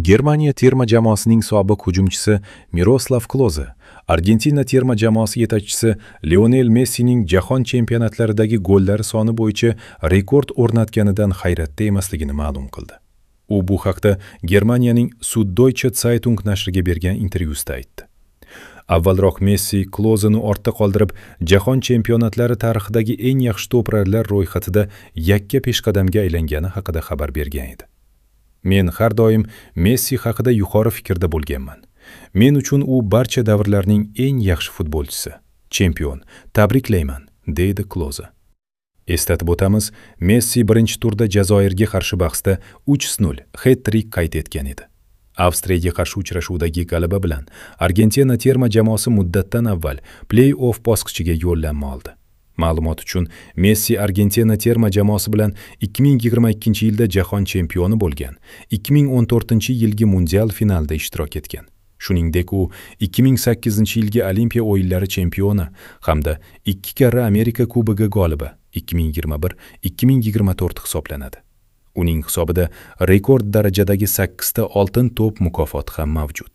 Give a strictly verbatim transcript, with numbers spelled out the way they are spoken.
Germaniya terma jamoasining sobiq hujumchisi Miroslav Kloze Argentina terma jamoasi yetakchisi Lionel Messining jahon chempionatlaridagi gollari soni bo'yicha rekord o'rnatganidan hayratda emasligini ma'lum qildi. U bu haqda Germaniyaning Süddeutsche Zeitung nashriga bergan intervyusida aytdi. Avvalroq Messi Klozeni ortda qoldirib, jahon chempionatlari tarixidagi eng yaxshi to'purarlar ro'yxatida yakka peshqadamga aylangani haqida xabar bergan edi. Men har doim Messi haqida yuqori fikrda bo'lganman. Men uchun u barcha davrlarning eng yaxshi futbolchisi, chempion. Tabriklayman, deydi Kloze. Eslatib o'tamiz, Messi birinchi turda Jazoirga qarshi bahsda uch nol het-trik qayd etgan edi. Avstriyaga qarshi uchrashuvdagi g'alaba bilan Argentina terma jamoasi muddatdan avval play-off bosqichiga yo'llanma oldi. Ma'lumot uchun, Messi Argentina terma jamoasi bilan ikki ming yigirma ikkinchi yilda jahon chempioni bo'lgan, ikki ming o'n to'rtinchi yilgi mundial finalida ishtirok etgan. Shuningdek, u ikki ming sakkizinchi yilgi Olimpiya o'yinlari chempioni hamda ikki karra Amerika Kubogi g'olibi ikki ming yigirma bir ikki ming yigirma to'rt hisoblanadi. Uning hisobida rekord darajadagi sakkizta oltin to'p mukofoti ham mavjud.